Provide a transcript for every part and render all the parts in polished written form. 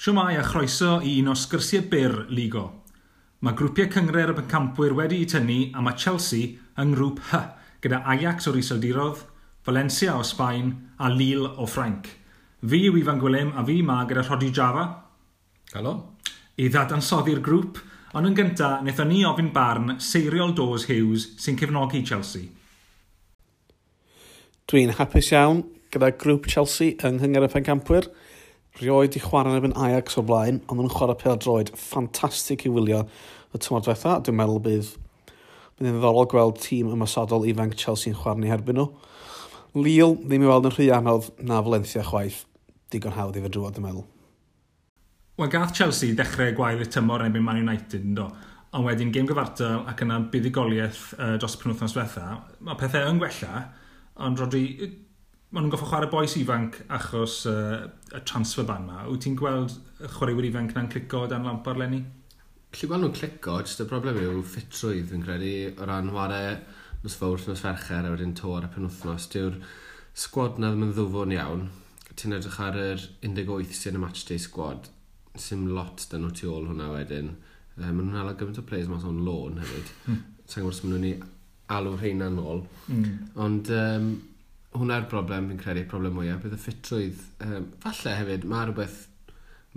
Siwmai a chroeso i un o sgyrsiau byr Ligo. Mae grwpiau cynghrair y pencampwyr wedi'u tynnu a mae Chelsea yng ngrŵp H gyda Ajax o'r Iseldiroedd, Valencia o Sbaen a Lille o Ffrainc. Fi yw Ifan Gwilym a fi ma gyda Rhodri Java. Helo. I ddadansoddi'r grŵp, ond yn gyntaf, wnaethon ni ofyn barn Seiriol Dawes Hughes sy'n cefnogi Chelsea. Dwi'n hapus iawn gyda grŵp Chelsea yng Nghynghrair y Pencampwyr. Rioed i chwarae yn erbyn Ajax o'r blaen, ond nhw'n chwarae pêl-droed ffantastig i wylio y tymor diwetha. Dwi'n meddwl bydd yn ddiddorol gweld tîm ymosodol ifanc Chelsea yn chwarae ni herbyn nhw. Lille ddim i weld yn rhy anodd na Valencia chwaith. Digon hawdd i fod drwodd, dwi'n meddwl. Wel, gath Chelsea ddechrau gwael y tymor yn erbyn Man United, yn do? Ond wedyn gêm gyfartal ac yna buddugoliaeth dros y penwythnos diwetha. Mae pethau yn gwella, ond Rodri, maen nhw'n goffo chwarae bois ifanc achos y transfer ban ma. Wyt ti'n gweld y chwaraewyr ifanc na'n clico dan Lampard leni? Gallu gweld nhw'n clico, jyst y broblem yw ffitrwydd fi'n credu o ran chwarae nos Fawrth, nos Fercher a wedyn to ar y penwythnos. Dyw'r sgwad na ddim yn ddwfwn iawn. Ti'n edrych ar yr 18 sy'n y matchday squad, sim lot dyn nhw tu ôl hwnna wedyn. Maen nhw'n hala gymaint o players mas on loan hefyd. Sa'n gwybod os maen nhw'n ei alw rheina nôl. Ond hwnna'r broblem fi'n credu, problem mwyaf, bydd y ffitrwydd. Falle hefyd, mae rhywbeth,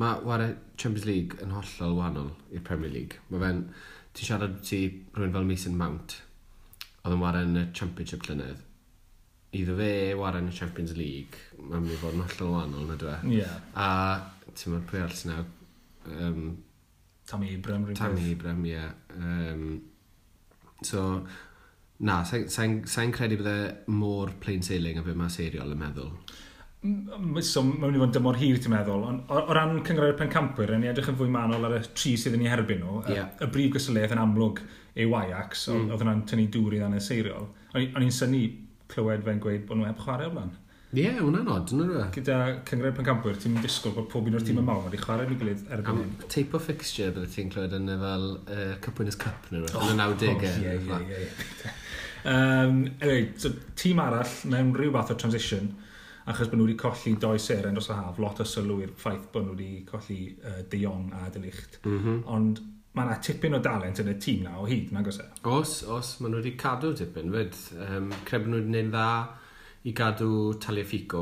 mae ware Champions League yn hollol wahanol i'r Premier League. Mae fe'n, ti'n siarad ti rhywun fel Mason Mount, oedd yn ware yn y Championship llynedd. Iddo fe ware yn y Champions League, mae'n mynd i fod yn hollol wahanol, na dwi? Yeah. A ti'n meddwl pwy arall sy'n nawr? Tammy Abraham. Rhywbeth. Tammy Abraham, ie. Yeah. So, na, sa'n sa credu bydde mor plain sailing a be mae Seiriol yn meddwl. So, mae'n mynd i fod yn dymor hir, ti'n meddwl. Ond o ran Cynghrair Pencampwyr, yn ni edrych yn fwy manwl ar y tri sydd yn ei herbyn nhw. Y brif gystadleuaeth yn amlwg yw Ajax, oedd hwnna'n tynnu dŵr i ddannedd Seiriol. O'n i'n synnu clywed fe'n gweud bod nhw heb chwarae o'r blaen. Ie, yeah, hwnna'n od, yn nhw? Gyda Cynghrair Pencampwyr, ti'n disgwyl bod pob un o'r tîm mm. mawr wedi chwarae yn ei gilydd erbyn Am hyn. Type o fixture bydde ti'n clywed yn y fel Cup Winners' Cup neu rhywbeth, yn y 90au. Ie. Anyway, so, tîm arall mewn rhyw fath o transition, achos bod nhw wedi colli doi seren dros y haf, lot o sylw i'r ffaith bod nhw wedi colli De Jong a De Ligt. Ond mae yna tipyn o dalent yn y tîm na o hyd, nag oes e? Os, os, maen nhw wedi cadw tipyn, fyd. Credu bod nhw wedi gwneud dda i gadw Tagliafico,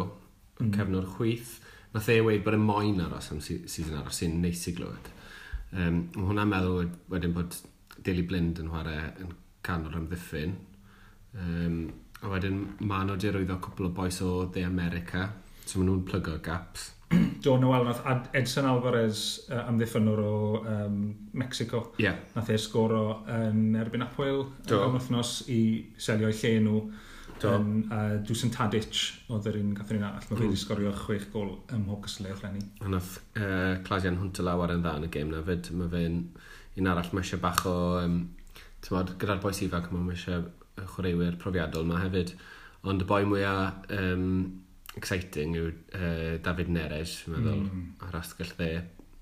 cefnwr chwith. Nath e weud bod e moyn aros am season arall, sy'n neis i glywed. Mae hwnna'n meddwl wedyn bod Daley Blind yn chwarae yn canol amddiffyn. A wedyn maen nhw wedi arwyddo cwpl o bois o De America, so maen nhw'n plygo gaps. Do, Noel, nath Edson Alvarez, amddiffynwr o Mexico, nath e sgoro yn erbyn Apoel yn wythnos i selio eu lle nhw. A Dusan Tadic oedd yr un gath yr un arall. Mae fe wedi sgorio 6 gol ym mhob cystadleuaeth leni. A nath Klaas-Jan Huntelaar yn dda yn y gêm na fyd. Mae fe'n un arall, mae eisiau bach o, t'mod, gyda'r bois ifanc, mae eisiau chwaraewyr profiadol ma hefyd. Ond y boi mwyaf exciting yw David Neres, fi'n meddwl, ar asgell dde.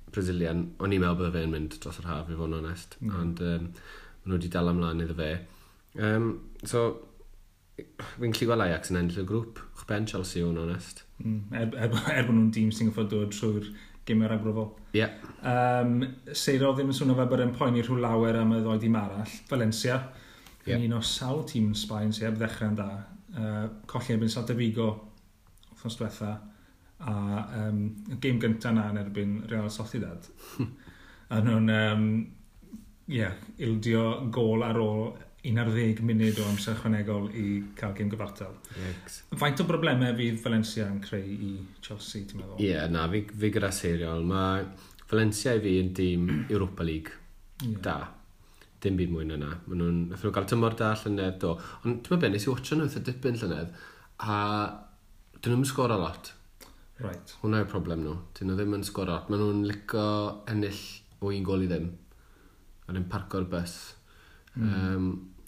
Brazilian, o'n i'n meddwl bydde fe'n mynd dros yr haf, i fod yn onest. Ond maen nhw wedi dal ymlaen iddo fe. So, fi'n gallu gweld Ajax yn ennill y grŵp, uwchben Chelsea, i fod yn onest. Er bod nhw'n dîm sy'n gorfod dod trwy'r gemau ragbrofol. Seiro ddim yn swnio fel bod e'n poeni rhyw lawer am y ddoi dîm arall. Valencia, yn un o sawl tîm yn Sbaen sydd heb ddechrau'n da. Colli erbyn Celta Vigo wythnos diwetha, a y gêm gyntaf na yn erbyn Real Sociedad. A nhw'n yeah, ildio gôl ar ôl 11 munud o amser ychwanegol i cael gêm gyfartal. Yikes. Faint o broblemau fydd Valencia yn creu i Chelsea, ti'n meddwl? Ie, yeah, na, fi gyda Seiriol. Mae Valencia i fi yn dîm Europa League da. Dim byd mwy na na. Maen nhw'n, nathon nhw gael tymor da llynedd, do. Ond ti'n meddwl be, nes i watcho nhw eitha dipyn llynedd, a dyn nhw'n sgoro lot. Hwnna yw'r problem nhw. Dyn nhw ddim yn sgoro lot. Maen nhw'n licio ennill o 1 gôl i ddim. A ddim parco'r bus.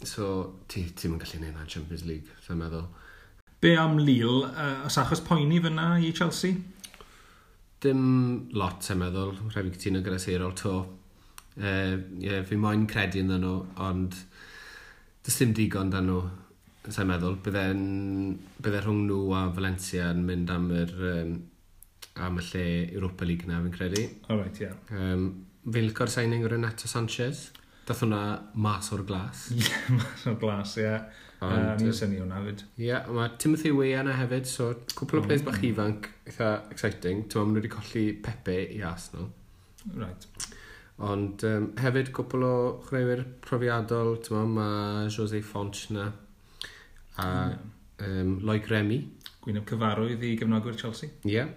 So, ti'n yn gallu neud na Champions League, sa'n meddwl. Be am Lille? Os achos poeni fyna i Chelsea? Dim lot, sa'n meddwl. Rhaid fi cytuno gyda Seiriol to. Yeah, fi moyn credu ynddyn nhw, ond does dim digon dan nhw, sa'n meddwl. Bydde rhwng nhw a Valencia yn mynd am yr am y lle Europa League na, fi'n credu. All right, yeah. Fi'n licio'r signing o Renato Sanchez. Dath hwnna mas o'r glas. Ie, yeah, mas o'r glas, ie. Yeah. Ni'n syni hwnna fyd. Ie, yeah, mae Timothy Weah yna hefyd, so cwpl o players bach ifanc, eitha exciting. Ti'n maen nhw wedi colli Pepe i Arsenal. Right. Ond hefyd cwpl o chwaraewyr profiadol, ti'n mae Jose Font na, a Loic Remy. Gwyneb cyfarwydd i gefnogwyr Chelsea. Ie, yeah,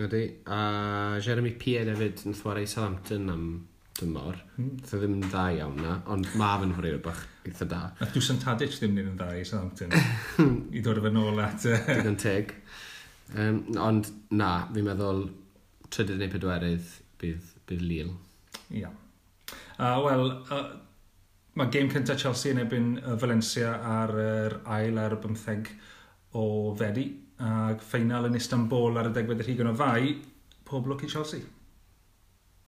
ydy. A Jeremy Pied hefyd yn chwarae Southampton am dymor. Nath o ddim yn dda iawn na, ond mae fe'n chwaraewr bach eitha da. Nath Dusan Tadic ddim yn dda i Southampton. I dod o fe nôl at Digon teg. Ond na, fi'n meddwl trydydd neu pedwerydd bydd Lille. Ia. Yeah. Wel, mae gêm cyntaf Chelsea yn erbyn Valencia ar yr 21 o Fedi, a ffeinal yn Istanbul ar y 20 o Fai, pob lwc i Chelsea.